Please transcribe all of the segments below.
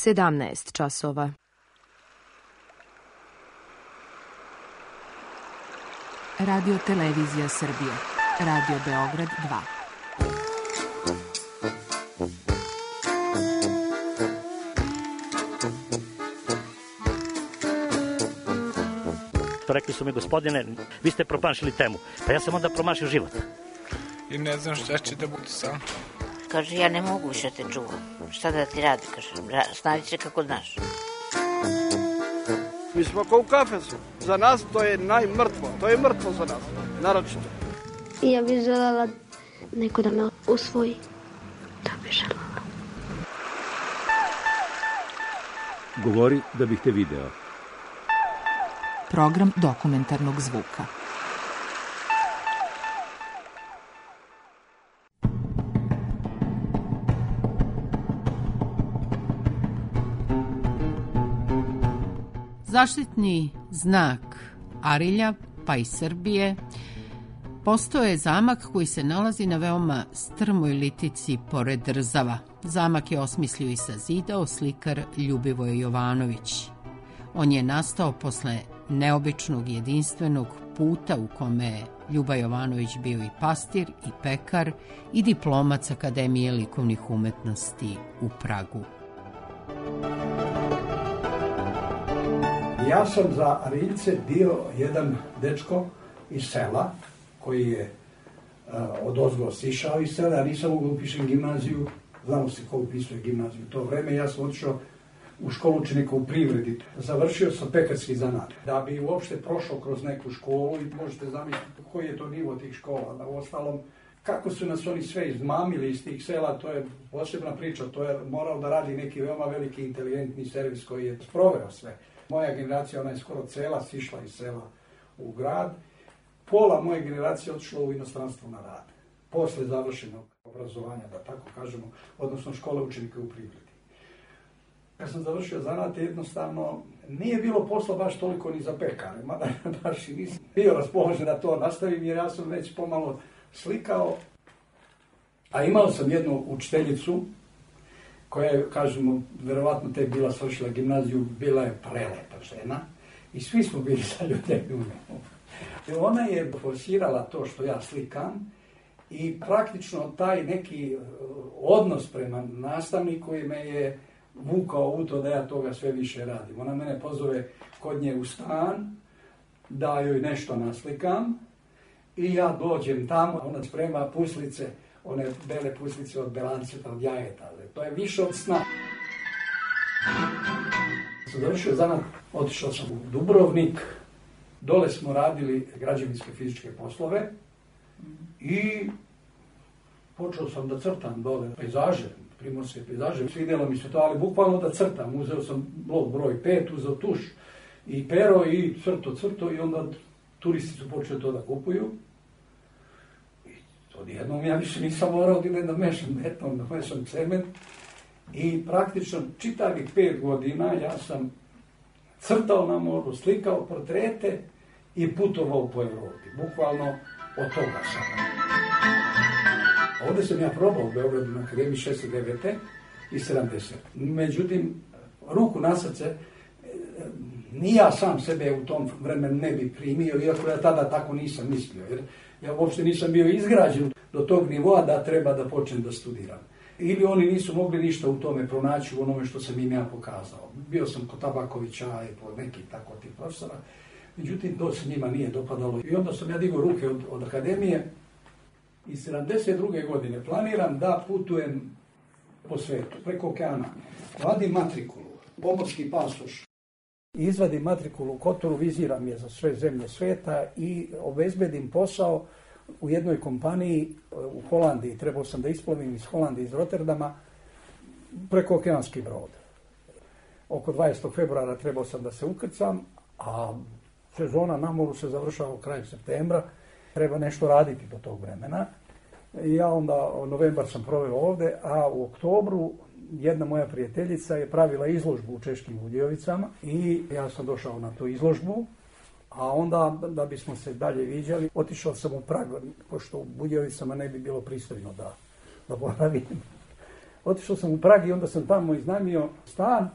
17 časova. Radio Televizija Srbije. Radio Beograd 2. Rekli su mi, gospodine, vi ste promašili temu. Pa ja sam onda promašio život. I ne znam šta će da bude sam. Kaže, ja ne mogu više te čuvam. Šta da ti radi, kaže, snađi se kako znaš. Mi smo kao u kafesu. Za nas to je najmrtvo. To je mrtvo za nas, naročito. Ja bih željela neko da me usvoji. To bih željela. Govori da bih te video. Program dokumentarnog zvuka. Zaštitni znak Arilja, pa i Srbije, postao je zamak koji se nalazi na veoma strmoj litici pored Rzava. Zamak je osmislio i sazidao slikar Ljubivoj Jovanović. On je nastao posle neobičnog jedinstvenog puta u kome je Ljuba Jovanović bio i pastir, i pekar, i diplomac Akademije likovnih umetnosti u Pragu. Ja sam za Ariljce bio jedan dečko iz sela koji je odozgo sišao iz sela, ja nisam mogao upišem gimnaziju, znamo se ko upisuje gimnaziju u to vreme, ja sam otišao u školu učenika u privredi. Završio sam pekarski zanat. Da bi uopšte prošao kroz neku školu i možete zamisliti koji je to nivo tih škola. Na ostalom, kako su nas oni sve izmamili iz tih sela, to je posebna priča, to je morao da radi neki veoma veliki inteligentni servis koji je sproveo sve. Moja generacija, ona je skoro cela sišla iz sela u grad. Pola moje generacije otišlo u inostranstvo na rad. Posle završenog obrazovanja, da tako kažemo, odnosno škole učenika u privredi. Kad sam završio zanat, jednostavno nije bilo posla baš toliko ni za pekare, mada baš i nisam bio raspoložen da to nastavim, jer ja sam već pomalo slikao. A imao sam jednu učiteljicu, koja je, kažemo, verovatno tek bila svršila gimnaziju, bila je prelepa žena i svi smo bili zaljubljeni u njemu. Ona je forsirala to što ja slikam i praktično taj neki odnos prema nastavniku me je vukao u to da ja toga sve više radim. Ona mene pozove kod nje u stan, da joj nešto naslikam i ja dođem tamo, ona sprema puslice, one bele puslice od belanceta, od jajeta. To je više od sna. Sam završio zanat, otišao sam u Dubrovnik, dole smo radili građevinske fizičke poslove i počeo sam da crtam dole pejzaže, primorske pejzaže. Svidjelo mi se to, ali bukvalno da crtam. Uzeo sam blok broj 5, uzeo tuš i pero i crto i onda turisti su počeli to da kupuju. Odjednom ja više nisam morao da mešam beton, da mešam cement i praktično čitavih 5 godina ja sam crtao na moru, slikao portrete i putovao po Evropi. Bukvalno od toga sam. Ovdje sam ja probao u Beogradu na Akademiji 69. i 70. Međutim, ruku na srce, ni ja sam sebe u tom vremenu ne bi primio, iako ja tada tako nisam mislio, jer ja uopšte nisam bio izgrađen do tog nivoa da treba da počnem da studiram. Ili oni nisu mogli ništa u tome pronaći u onome što sam im ja pokazao. Bio sam kod Tabakovića i po nekih tako tih profesora, međutim to se njima nije dopadalo. I onda sam ja digao ruke od Akademije i 72. godine planiram da putujem po svetu, preko okeana. Vadim matrikulu, pomorski pasoš. Izvadim matrikulu u Kotoru, viziram je za sve zemlje sveta i obezbedim posao u jednoj kompaniji u Holandiji. Trebao sam da isplovim iz Holandije, iz Rotterdama, preko okeanski brod. Oko 20. februara trebao sam da se ukrcam, a sezona na moru se završava u kraju septembra. Treba nešto raditi do tog vremena. Ja onda, novembar sam proveo ovde, a u oktobru jedna moja prijateljica je pravila izložbu u Češkim Budjevicama i ja sam došao na tu izložbu, a onda da bismo se dalje viđali, otišao sam u Prag, pošto u Budjevicama ne bi bilo pristojno da boravim. Otišao sam u Prag i onda sam tamo iznajmio stan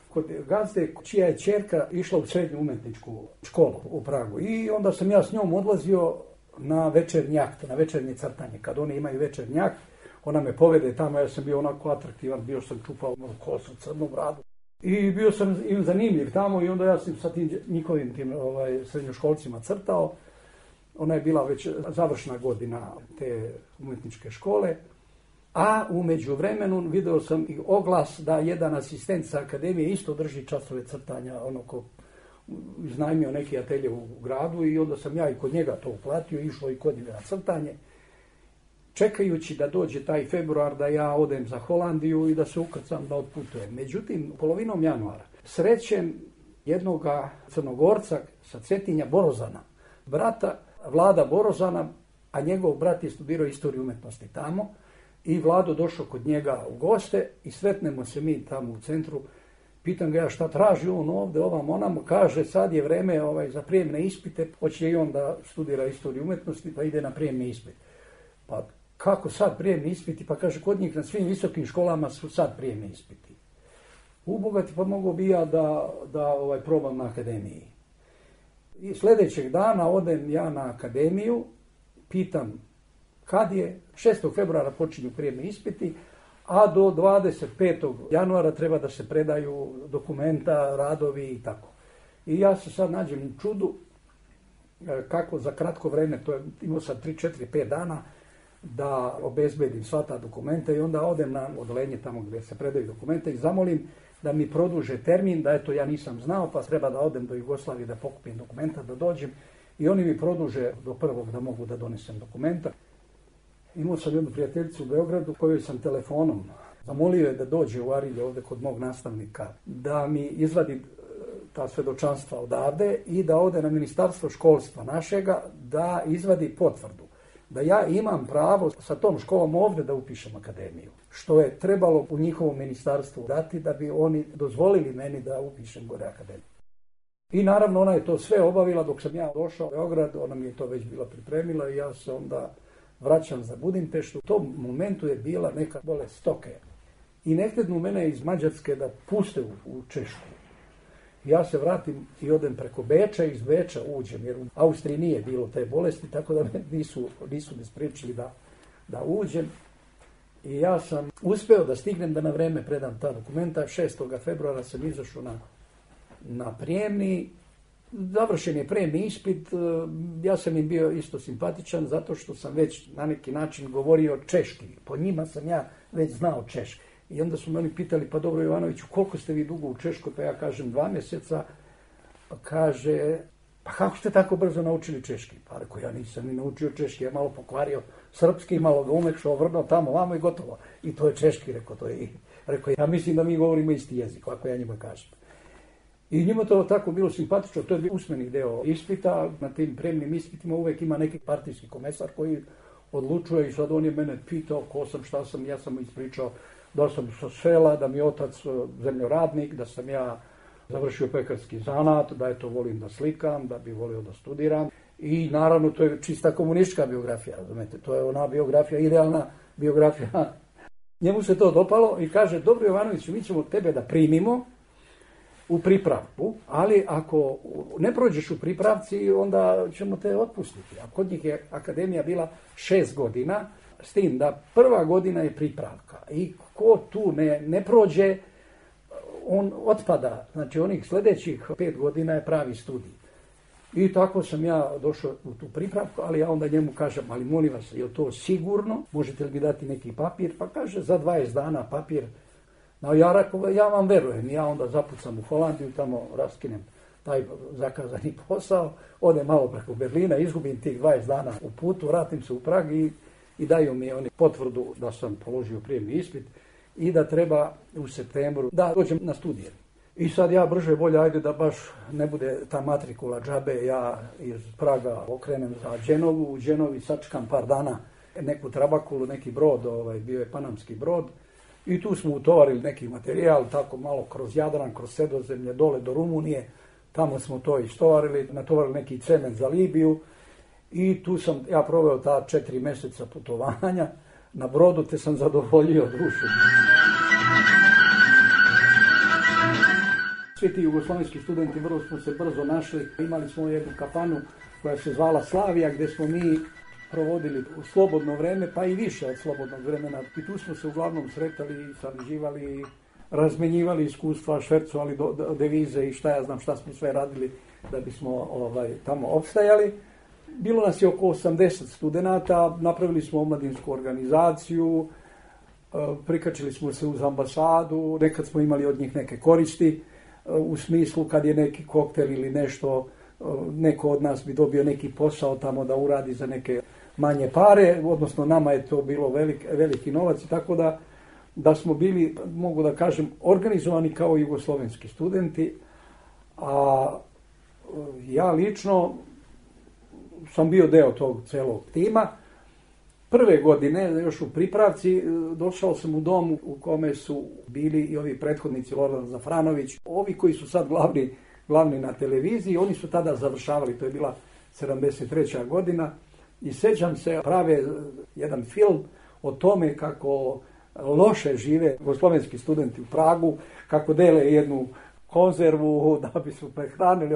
kod gazde čija je ćerka išla u srednju umjetničku školu u Pragu. I onda sam ja s njom odlazio na večernji akt, na večernje crtanje. Kad oni imaju večernji akt, ona me povede tamo, ja sam bio onako atraktivan, bio sam čupao kosu, crnu bradu. I bio sam im zanimljiv tamo i onda ja sam sa tim njihovim srednjoškolcima crtao. Ona je bila već završna godina te umjetničke škole. A u međuvremenu video sam i oglas da jedan asistent sa akademije isto drži časove crtanja, ono ko iznajmio neki atelje u gradu i onda sam ja i kod njega to uplatio, išlo i kod njega na crtanje, čekajući da dođe taj februar da ja odem za Holandiju i da se ukrcam da otputujem. Međutim, polovinom januara srećem jednoga Crnogorca sa Cetinja, Borozana, brata Vlada Borozana, a njegov brat je studirao istoriju umjetnosti tamo. I Vlado došao kod njega u goste i sretnemo se mi tamo u centru. Pitam ga ja šta traži on ovdje, ovam onamo. Kaže sad je vreme za prijemne ispite. Hoće i on da studira istoriju umjetnosti pa ide na prijemni ispit. Pa kako sad prijemni ispiti? Pa kaže kod njih na svim visokim školama su sad prijemni ispiti. Ubogati pa mogu bi ja da probam na akademiji. I sljedećeg dana odem ja na akademiju, pitam kad je, 6. februara počinju prijemni ispiti, a do 25. januara treba da se predaju dokumenta, radovi i tako. I ja se sad nađem u čudu kako za kratko vreme, to je imao sam 3, 4, 5 dana, da obezbedim sva ta dokumenta i onda odem na odelenje tamo gdje se predaju dokumenta i zamolim da mi produže termin, da eto ja nisam znao pa treba da odem do Jugoslavije da pokupim dokumenta, da dođem i oni mi produže do 1. da mogu da donesem dokumenta. Imao sam jednu prijateljicu u Beogradu kojoj sam telefonom zamolio je da dođe u Arilje ovdje kod mog nastavnika, da mi izvadi ta svjedočanstva odavde i da ode na ministarstvo školstva našega da izvadi potvrdu. Da ja imam pravo sa tom školom ovdje da upišem akademiju. Što je trebalo u njihovom ministarstvu dati da bi oni dozvolili meni da upišem gore akademiju. I naravno ona je to sve obavila dok sam ja došao u Beograd, ona mi je to već bila pripremila i ja se onda vraćam za Budimpeštu. U tom momentu je bila neka bolest stoke. I ne htjednu mene iz Mađarske da puste u Češku. Ja se vratim i odem preko Beča i iz Beča uđem, jer u Austriji nije bilo te bolesti, tako da me nisu me spriječili da uđem. I ja sam uspeo da stignem da na vreme predam ta dokumenta. 6. februara sam izašao na prijemni. Završen je prijemni ispit. Ja sam im bio isto simpatičan zato što sam već na neki način govorio češki. Po njima sam ja već znao češki. I onda su me oni pitali, pa dobro Jovanoviću, koliko ste vi dugo u Češkoj? Pa ja kažem 2 mjeseca. Pa kaže, pa kako ste tako brzo naučili češki? Pa rekao, ja nisam ni naučio češki, ja malo pokvario srpski, malo ga umekšao, vrnuo tamo, vamo i gotovo. I to je češki, rekao, to je. Rekao, ja mislim da mi govorimo isti jezik, ako ja njima kažem. I njima to tako bilo simpatično, to je bio usmeni deo ispita. Na tim prijemnim ispitima uvijek ima neki partijski komesar koji odlučuje i sad on je mene pitao ko sam, šta sam, ja sam mu ispričao da sam sa sela, da mi je otac zemljoradnik, da sam ja završio pekarski zanat, da eto volim da slikam, da bi volio da studiram. I naravno to je čista komunistička biografija, razumete, to je ona biografija, idealna biografija. Njemu se to dopalo i kaže, dobro Jovanović, mi ćemo tebe da primimo u pripravku, ali ako ne prođeš u pripravci, onda ćemo te otpustiti. A kod njih je akademija bila 6 godina, s tim da prva godina je pripravka. I ko tu ne prođe, on otpada. Znači onih sljedećih 5 godina je pravi studij. I tako sam ja došao u tu pripravku, ali ja onda njemu kažem, ali molim vas, je li to sigurno? Možete li mi dati neki papir? Pa kaže, za 20 dana papir. No, ja vam verujem, ja onda zapucam u Holandiju, tamo raskinem taj zakazani posao, odem malo preko Berlina, izgubim tih 20 dana u putu, vratim se u Prag i daju mi oni potvrdu da sam položio prijemni ispit i da treba u septembru da dođem na studije. I sad ja brže bolje, ajde da baš ne bude ta matrikula džabe, ja iz Praga okrenem za Dženovu, u Dženovi sačekam par dana neku trabakulu, neki brod, bio je panamski brod, i tu smo utovarili neki materijal, tako malo kroz Jadran, kroz Sredozemlje, dole do Rumunije, tamo smo to istovarili, natovarili neki cement za Libiju i tu sam ja proveo ta 4 mjeseca putovanja na brodu, te sam zadovoljio dušu. Svi ti jugoslovenski studenti vrlo smo se brzo našli. Imali smo jednu kafanu koja se zvala Slavija, gdje smo mi provodili slobodno vreme, pa i više od slobodnog vremena. I tu smo se uglavnom sretali, sarađivali, razmenjivali iskustva, švercovali devize i šta ja znam šta smo sve radili da bismo tamo opstajali. Bilo nas je oko 80 studenata, napravili smo omladinsku organizaciju, prikačili smo se uz ambasadu, nekad smo imali od njih neke koristi, u smislu kad je neki koktel ili nešto, neko od nas bi dobio neki posao tamo da uradi za neke manje pare, odnosno nama je to bilo veliki novac, tako da smo bili, mogu da kažem, organizovani kao jugoslovenski studenti, a ja lično sam bio deo tog celog tima. Prve godine, još u pripravci, došao sam u dom u kome su bili i ovi prethodnici Lordan Zafranović, ovi koji su sad glavni na televiziji, oni su tada završavali, to je bila 73. godina, i sjećam se, prave jedan film o tome kako loše žive jugoslovenski studenti u Pragu, kako dele jednu konzervu da bi su prehranili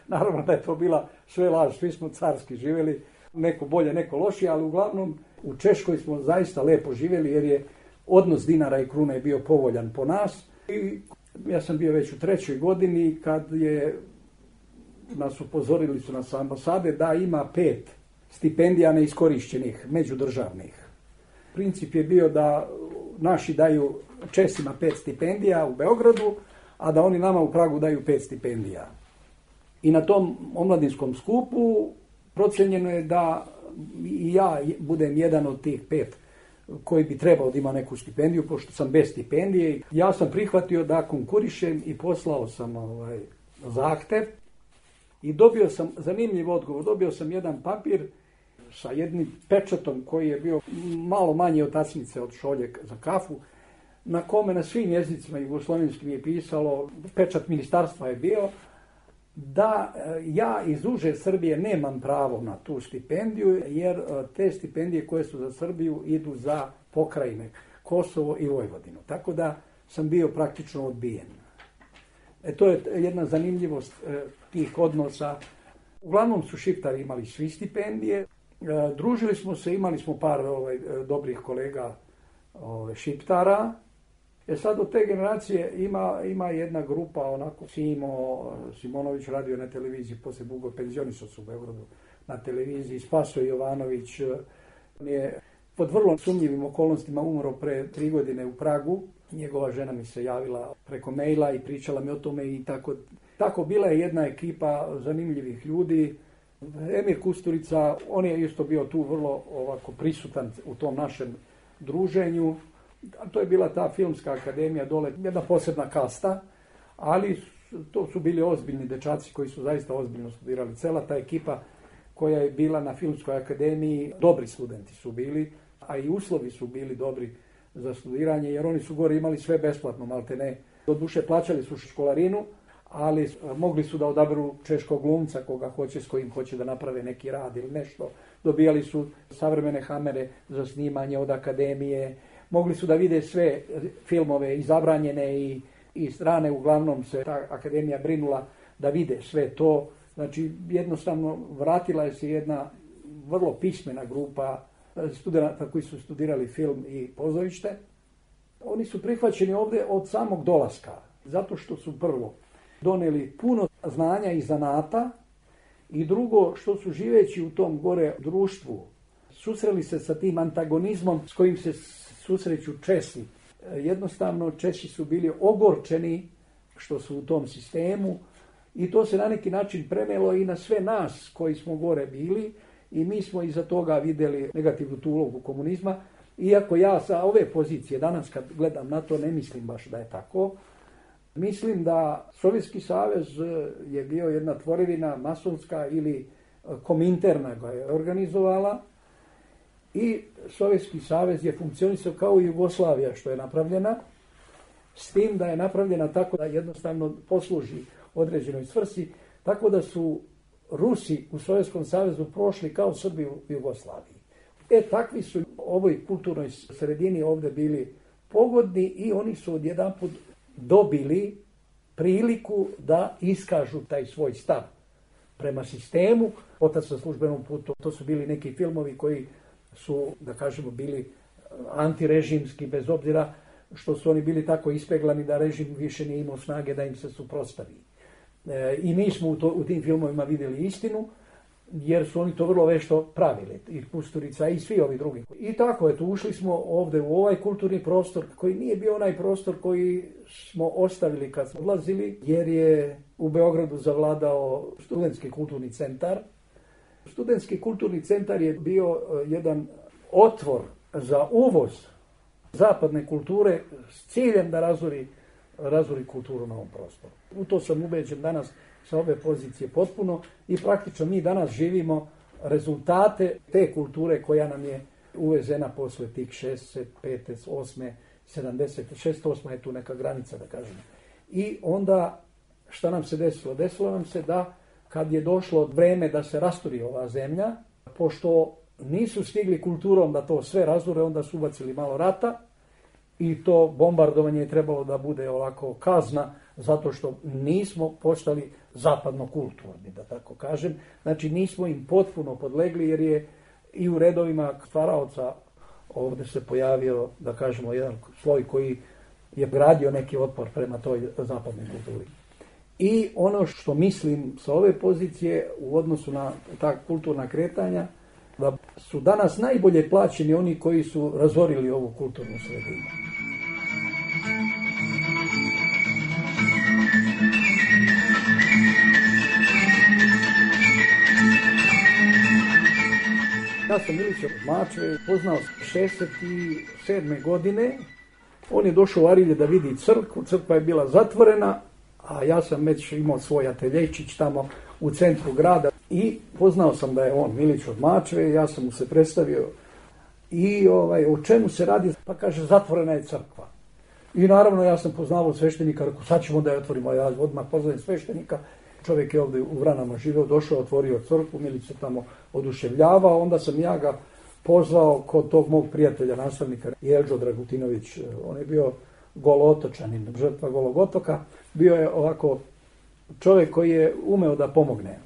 naravno da je to bila sve laž, svi smo carski živjeli, neko bolje, neko lošije, ali uglavnom u Češkoj smo zaista lepo živjeli jer je odnos dinara i krune bio povoljan po nas. I ja sam bio već u 3. godini kad nas upozorili su nas ambasade da ima 5 stipendija neiskorišćenih, međudržavnih. Princip je bio da naši daju Česima 5 stipendija u Beogradu, a da oni nama u Pragu daju 5 stipendija. I na tom omladinskom skupu procenjeno je da i ja budem jedan od tih 5 koji bi trebao da ima neku stipendiju, pošto sam bez stipendije. Ja sam prihvatio da konkurišem i poslao sam zahtev i dobio sam zanimljiv odgovor. Dobio sam jedan papir sa jednim pečatom koji je bio malo manji od tacnice od šolje za kafu, na kome na svim jezicima jugoslovenskim je pisalo, pečat ministarstva je bio, da ja iz uže Srbije nemam pravo na tu stipendiju, jer te stipendije koje su za Srbiju idu za pokrajine Kosovo i Vojvodinu. Tako da sam bio praktično odbijen. To je jedna zanimljivost tih odnosa. Uglavnom su Šiptari imali svi stipendije. Družili smo se, imali smo par dobrih kolega Šiptara. Sad od te generacije ima jedna grupa, onako Simonović radio na televiziji, poslije dugo penzionisao se u Beogradu na televiziji, Spaso Jovanović, on je pod vrlo sumnjivim okolnostima umro pre 3 godine u Pragu. Njegova žena mi se javila preko maila i pričala mi o tome i tako bila je jedna ekipa zanimljivih ljudi. Emir Kusturica, on je isto bio tu vrlo ovako prisutan u tom našem druženju. To je bila ta filmska akademija dole, jedna posebna kasta, ali to su bili ozbiljni dečaci koji su zaista ozbiljno studirali. Cela ta ekipa koja je bila na filmskoj akademiji, dobri studenti su bili, a i uslovi su bili dobri za studiranje, jer oni su gore imali sve besplatno, maltene. Doduše plaćali su školarinu, ali mogli su da odaberu češkog glumca koga hoće, s kojim hoće da naprave neki rad ili nešto. Dobijali su savremene hamere za snimanje od akademije, mogli su da vide sve filmove izabranjene i strane, uglavnom se ta akademija brinula da vide sve to. Znači, jednostavno vratila je se jedna vrlo pismena grupa studenata koji su studirali film i pozorište. Oni su prihvaćeni ovdje od samog dolaska, zato što su prvo doneli puno znanja i zanata i drugo što su živeći u tom gore društvu susreli se sa tim antagonizmom s kojim se susreću Česi. Jednostavno Česi su bili ogorčeni što su u tom sistemu i to se na neki način prenelo i na sve nas koji smo gore bili i mi smo iza toga vidjeli negativnu tu ulogu komunizma. Iako ja sa ove pozicije danas kad gledam na to ne mislim baš da je tako. Mislim da Sovjetski savez je bio jedna tvorevina masonska ili Kominterna ga je organizovala i Sovjetski savez je funkcionisao kao i Jugoslavija što je napravljena, s tim da je napravljena tako da jednostavno posluži određenoj svrsi, tako da su Rusi u Sovjetskom savezu prošli kao Srbi u Jugoslaviji. Takvi su ovoj kulturnoj sredini ovdje bili pogodni i oni su odjedanput dobili priliku da iskažu taj svoj stav prema sistemu. Otac na službenom putu, to su bili neki filmovi koji su, da kažemo, bili antirežimski, bez obzira što su oni bili tako ispeglani da režim više nije imao snage da im se suprotstavi. I mi smo u tim filmovima vidjeli istinu, jer su oni to vrlo vešto pravili, i Kusturica i svi ovi drugi. I tako, eto, ušli smo ovdje u ovaj kulturni prostor, koji nije bio onaj prostor koji smo ostavili kad smo odlazili, jer je u Beogradu zavladao studentski kulturni centar. Studentski kulturni centar je bio jedan otvor za uvoz zapadne kulture s ciljem da razori kulturu na ovom prostoru. U to sam ubeđen danas sa ove pozicije potpuno i praktično mi danas živimo rezultate te kulture koja nam je uvezena posle tih 65, 8, 70, 68 je tu neka granica, da kažem. I onda šta nam se desilo? Desilo nam se da kad je došlo vreme da se rasturi ova zemlja, pošto nisu stigli kulturom da to sve razure, onda su ubacili malo rata i to bombardovanje je trebalo da bude ovako kazna zato što nismo postali zapadno kulturni, da tako kažem. Znači nismo im potpuno podlegli jer je i u redovima stvaraoca ovdje se pojavio, da kažemo, jedan sloj koji je gradio neki otpor prema toj zapadnoj kulturi. I ono što mislim sa ove pozicije u odnosu na ta kulturna kretanja, da su danas najbolje plaćeni oni koji su razorili ovu kulturnu sredinu. Ja sam Milića od Mačve poznao 67. godine. On je došao u Arilje da vidi crkvu. Crkva je bila zatvorena, a ja sam već imao svoj ateljejčić tamo u centru grada. I poznao sam da je on Milić od Mačve, ja sam mu se predstavio. I o čemu se radi? Pa kaže, zatvorena je crkva. I naravno ja sam poznavao sveštenika, rekao, sad ćemo da je otvorimo. Ja odmah poznajem sveštenika. Čovjek je ovdje u Vranama živio, došao, otvorio crkvu, Milić se tamo oduševljavao, onda sam ja ga pozvao kod tog mog prijatelja, nastavnika Jelđo Dragutinović, on je bio Golotočanin, žrtva Golog otoka, bio je ovako čovjek koji je umeo da pomogne,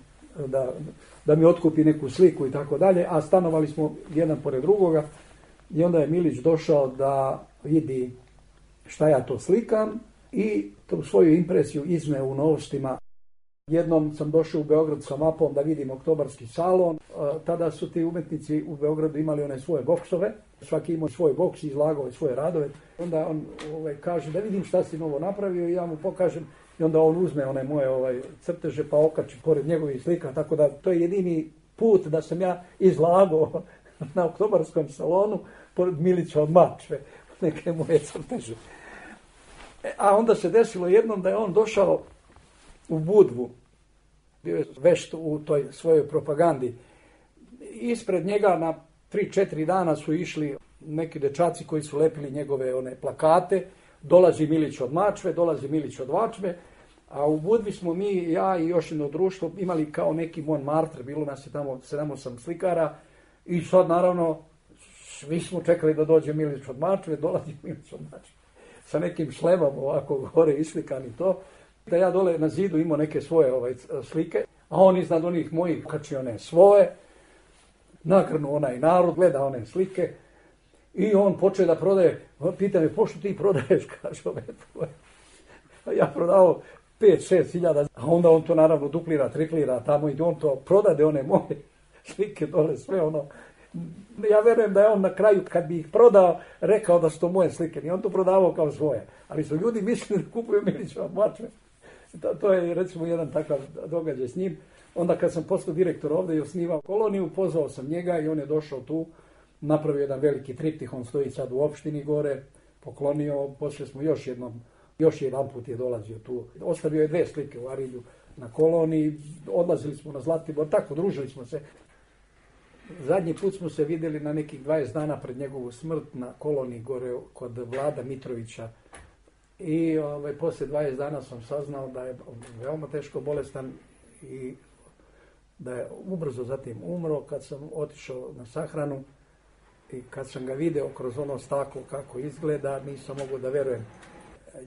da mi otkupi neku sliku i tako dalje, a stanovali smo jedan pored drugoga i onda je Milić došao da vidi šta ja to slikam i tu svoju impresiju izneo u Novostima. Jednom sam došao u Beograd sa mapom da vidim Oktobarski salon. Tada su ti umetnici u Beogradu imali one svoje boksove. Svaki imao svoj boks i izlagao svoje radove. Onda on kaže da vidim šta si novo napravio i ja mu pokažem. I onda on uzme one moje crteže pa okači pored njegovih slika. Tako da to je jedini put da sam ja izlagao na Oktobarskom salonu pored Milića od Mačve. Neke moje crteže. A onda se desilo jednom da je on došao u Budvu, bio je vešt u toj svojoj propagandi. Ispred njega na 3-4 dana su išli neki dečaci koji su lepili njegove one plakate. Dolazi Milić od Mačve, dolazi Milić od Mačve, a u Budvi smo mi, ja i još jedno društvo, imali kao neki Montmartre, bilo nas je tamo 7-8 slikara i sad naravno svi smo čekali da dođe Milić od Mačve, dolazi Milić od Mačve sa nekim šlemom ovako gore islikan i to. Da ja dole na zidu imao neke svoje slike, a on iznad onih mojih kači one svoje, nakrnu onaj narod, gleda one slike i on počeo da prodaje, pita me, pošto ti prodaješ, kaže ove tvoje. A ja prodao 5-6 hiljada, a onda on to naravno duplira, triplira tamo i on to prodade one moje slike dole, sve ono. Ja verujem da je on na kraju, kad bi ih prodao, rekao da su to moje slike. I on to prodavao kao svoje. Ali su ljudi mislili da kupuju Milića od Mačve. To je recimo jedan takav događaj s njim. Onda kad sam postao direktor ovdje i osnivao koloniju, pozvao sam njega i on je došao tu, napravio jedan veliki triptih, on stoji sad u opštini gore, poklonio, poslije smo još jedan put je dolazio tu. Ostavio je 2 slike u Arilju na koloniji, odlazili smo na Zlatibor, tako družili smo se. Zadnji put smo se vidjeli na nekih 20 dana pred njegovu smrt na koloniji gore kod Vlada Mitrovića. I poslije 20 dana sam saznao da je veoma teško bolestan i da je ubrzo zatim umro. Kad sam otišao na sahranu i kad sam ga video kroz ono staklo kako izgleda, nisam mogao da verujem.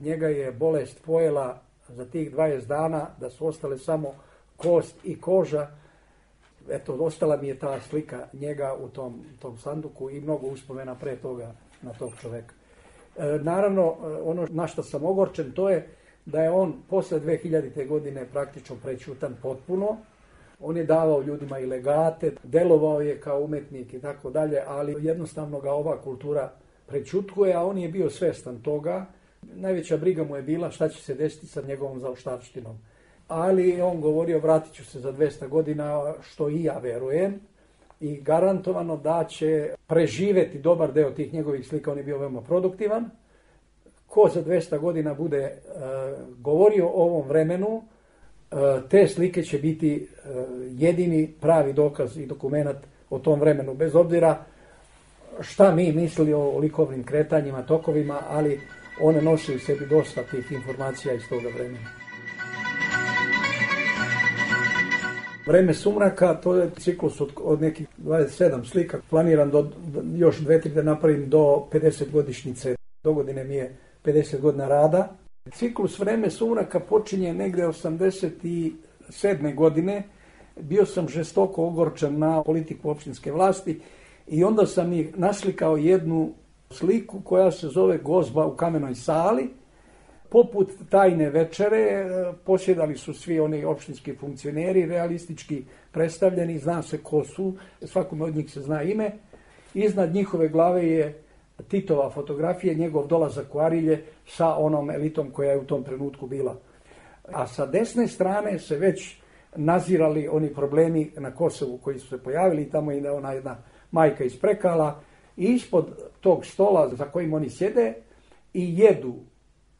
Njega je bolest pojela za tih 20 dana, da su ostale samo kost i koža. Eto, ostala mi je ta slika njega u tom sanduku i mnogo uspomena pre toga na tog čoveka. Naravno, ono na što sam ogorčen, to je da je on posle 2000. godine praktično prećutan potpuno. On je davao ljudima i legate, delovao je kao umetnik i tako dalje, ali jednostavno ga ova kultura prećutkuje, a on je bio svestan toga. Najveća briga mu je bila šta će se desiti sa njegovom zaostavštinom. Ali on govorio, vratit ću se za 200 godina, što i ja verujem, i garantovano da će preživeti dobar deo tih njegovih slika. On je bio veoma produktivan. Ko za 200 godina bude govorio o ovom vremenu, te slike će biti jedini pravi dokaz i dokument o tom vremenu, bez obzira šta mi mislili o likovnim kretanjima, tokovima, ali one nose u sebi dosta tih informacija iz toga vremena. Vreme sumraka, to je ciklus od nekih 27 slika. Planiram još 2-3 da napravim do 50 godišnjice. Dogodine mi je 50 godina rada. Ciklus Vreme sumraka počinje negde 87. godine. Bio sam žestoko ogorčen na politiku opštinske vlasti i onda sam i naslikao jednu sliku koja se zove Gozba u kamenoj sali. Poput tajne večere posjedali su svi oni opštinski funkcioneri, realistički predstavljeni, zna se ko su, svakome od njih se zna ime. Iznad njihove glave je Titova fotografija, njegov dolazak u Arilje sa onom elitom koja je u tom trenutku bila. A sa desne strane se već nazirali oni problemi na Kosovu koji su se pojavili, tamo je ona jedna majka iz Prekala i ispod tog stola za kojim oni sjede i jedu.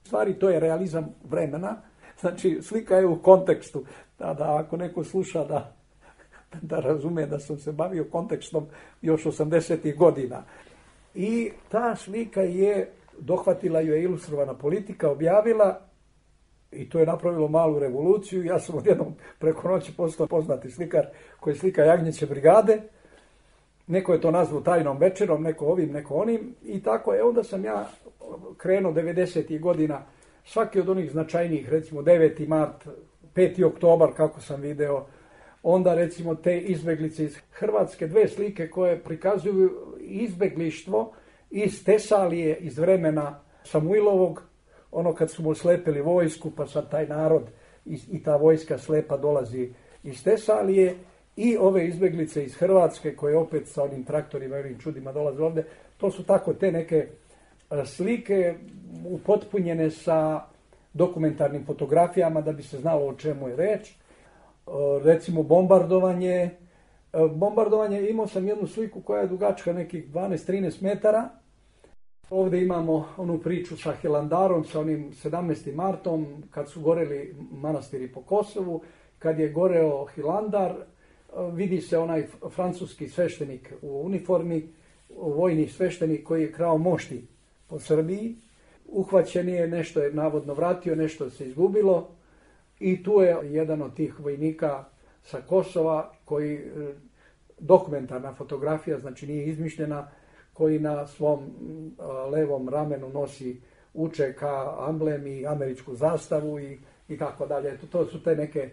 Stvari, to je realizam vremena, znači slika je u kontekstu, da ako neko sluša da razume da sam se bavio kontekstom još 80. godina. I ta slika je dohvatila, ju je Ilustrovana politika, objavila i to je napravilo malu revoluciju. Ja sam odjednom preko noći postao poznati slikar koji slika Jagnjeće brigade. Neko je to nazvao tajnom večerom, neko ovim, neko onim i tako je. Onda sam ja krenuo 90. godina, svaki od onih značajnijih, recimo 9. mart, 5. oktobar, kako sam video, onda recimo te izbeglice iz Hrvatske, 2 slike koje prikazuju izbeglištvo iz Tesalije, iz vremena Samuilovog, ono kad su mu slepili vojsku, pa sad taj narod i ta vojska slepa dolazi iz Tesalije, i ove izbeglice iz Hrvatske koje opet sa onim traktorima i onim čudima dolaze ovde. To su tako te neke slike upotpunjene sa dokumentarnim fotografijama da bi se znalo o čemu je reč. Recimo bombardovanje. Imao sam jednu sliku koja je dugačka nekih 12-13 metara. Ovdje imamo onu priču sa Hilandarom, sa onim 17. martom, kad su goreli manastiri po Kosovu. Kad je goreo Hilandar, vidi se onaj francuski sveštenik u uniformi, vojni sveštenik koji je krao mošti po Srbiji. Uhvaćen je, nešto je navodno vratio, nešto se izgubilo i tu je jedan od tih vojnika sa Kosova koji, dokumentarna fotografija, znači nije izmišljena, koji na svom levom ramenu nosi UČK amblem i američku zastavu i tako dalje. To su te neke,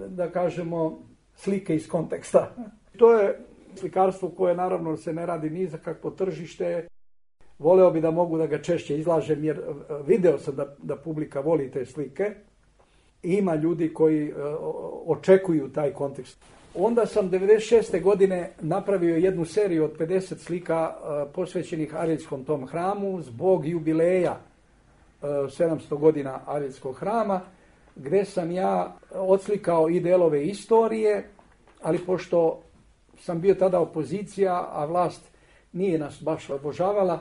da kažemo, slike iz konteksta. To je slikarstvo koje naravno se ne radi ni za kakvo tržište. Voleo bi da mogu da ga češće izlažem jer video sam da publika voli te slike. Ima ljudi koji očekuju taj kontekst. Onda sam 96. godine napravio jednu seriju od 50 slika posvećenih Ariljskom tom hramu zbog jubileja 700 godina Ariljskog hrama, gde sam ja odslikao i delove istorije, ali pošto sam bio tada opozicija, a vlast nije nas baš obožavala,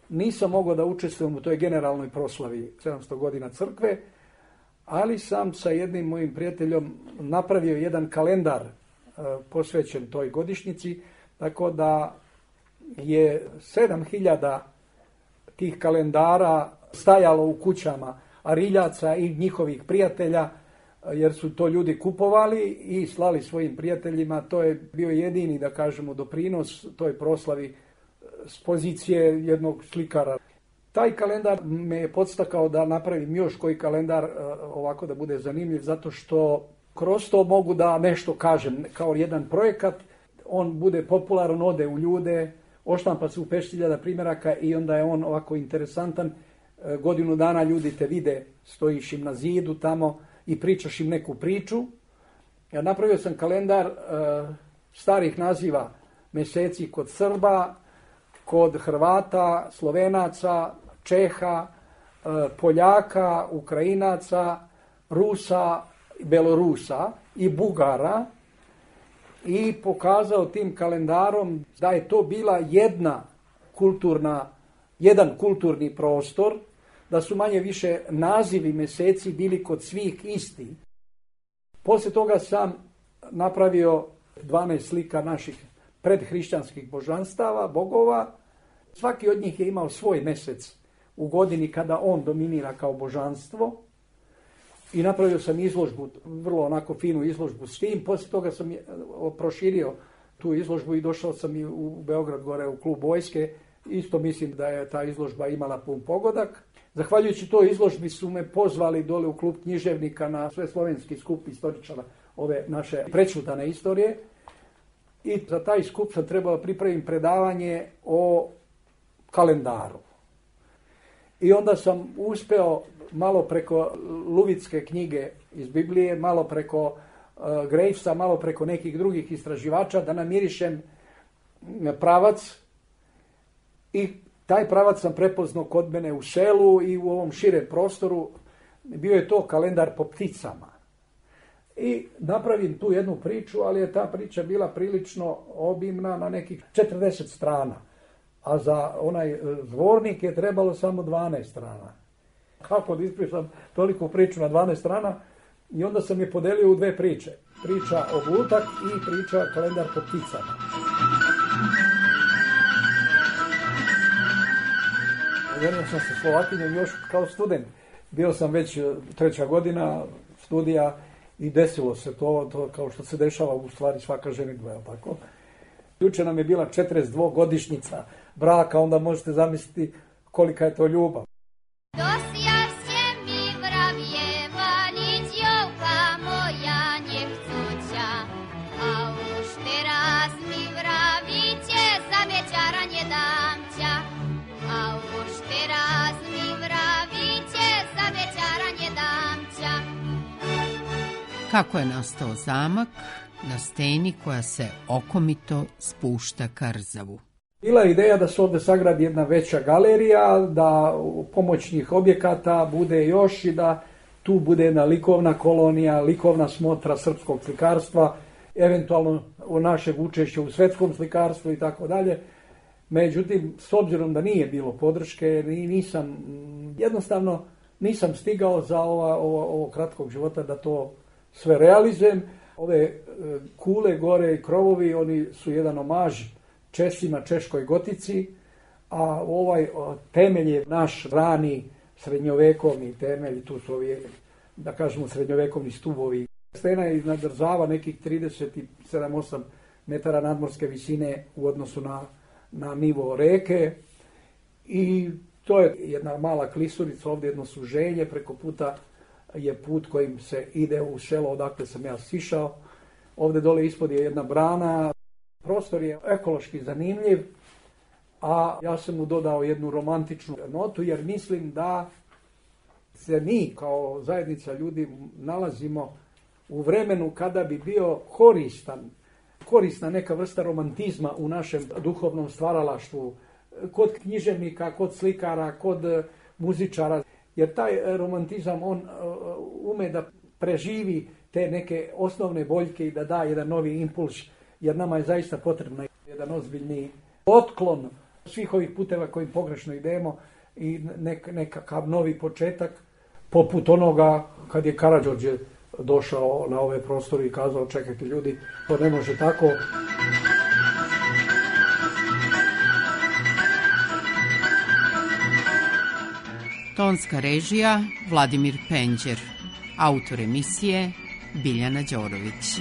nisam mogao da učestvujem u toj generalnoj proslavi 700 godina crkve, ali sam sa jednim mojim prijateljom napravio jedan kalendar posvećen toj godišnjici, tako da je 7000 tih kalendara stajalo u kućama Ariljaca i njihovih prijatelja, jer su to ljudi kupovali i slali svojim prijateljima. To je bio jedini, da kažemo, doprinos toj proslavi s pozicije jednog slikara. Taj kalendar me je podstakao da napravim još koji kalendar ovako da bude zanimljiv, zato što kroz to mogu da nešto kažem kao jedan projekat. On bude popularan, ode u ljude, oštampa se u 5.000 primjeraka i onda je on ovako interesantan. Godinu dana ljudi te vide, stojiš im na zidu tamo i pričaš im neku priču. Ja napravio sam kalendar starih naziva mjeseci kod Srba, kod Hrvata, Slovenaca, Čeha, Poljaka, Ukrajinaca, Rusa, Belorusa i Bugara i pokazao tim kalendarom da je to bila jedan kulturni prostor, da su manje više nazivi mjeseci bili kod svih isti. Poslije toga sam napravio 12 slika naših predhrišćanskih božanstava, bogova. Svaki od njih je imao svoj mjesec u godini kada on dominira kao božanstvo. I napravio sam izložbu, vrlo onako finu izložbu s tim. Poslije toga sam proširio tu izložbu i došao sam i u Beograd gore u klub vojske. Isto mislim da je ta izložba imala pun pogodak. Zahvaljujući toj izložbi su me pozvali dole u klub književnika na sveslovenski skup istoričara ove naše prečutane istorije. I za taj skup sam trebao pripraviti predavanje o kalendaru. I onda sam uspeo malo preko Luvicke knjige iz Biblije, malo preko Gravesa, malo preko nekih drugih istraživača da namirišem pravac. I taj pravac sam prepoznao kod mene u selu i u ovom širem prostoru. Bio je to kalendar po pticama. I napravim tu jednu priču, ali je ta priča bila prilično obimna na nekih 40 strana. A za onaj zvornik je trebalo samo 12 strana. Kako da ispričam toliku priču na 12 strana? I onda sam je podelio u dve priče. Priča o Blutak i priča kalendar po pticama. Ženio sam se Slovakinjom još kao student. Bio sam već 3. godina studija i desilo se to kao što se dešava u stvari svaka ženitba, je li tako? Juče nam je bila 42-godišnjica braka, onda možete zamisliti kolika je to ljubav. Kako je nastao zamak na steni koja se okomito spušta ka Rzavu? Bila je ideja da se ovdje sagradi jedna veća galerija, da pomoćnih objekata bude još i da tu bude jedna likovna kolonija, likovna smotra srpskog slikarstva, eventualno o našeg učešća u svetskom slikarstvu i tako dalje. Međutim, s obzirom da nije bilo podrške, nisam stigao za ovo kratkog života da to sve realizujem. Ove kule gore i krovovi, oni su jedan omaž Česima, češkoj gotici, a ovaj temelj je naš rani srednjovekovni temelj, tu su ovi, da kažemo, srednjovekovni stubovi. Stena je iznad Rzava nekih 37-8 metara nadmorske visine u odnosu na nivo reke i to je jedna mala klisurica, ovdje jedno suženje, preko puta je put kojim se ide u selo odakle sam ja sišao. Ovdje dole ispod je jedna brana. Prostor je ekološki zanimljiv, a ja sam mu dodao jednu romantičnu notu jer mislim da se mi kao zajednica ljudi nalazimo u vremenu kada bi bio korisna neka vrsta romantizma u našem duhovnom stvaralaštvu, kod književnika, kod slikara, kod muzičara. Jer taj romantizam, on ume da preživi te neke osnovne boljke i da da jedan novi impuls, jer nama je zaista potrebno jedan ozbiljni otklon svih ovih puteva kojim pogrešno idemo i nekakav novi početak, poput onoga kad je Karađorđe došao na ove prostore i kazao: čekajte ljudi, to ne može tako. Tonska režija Vladimir Penđer. Autor emisije Biljana Đorović.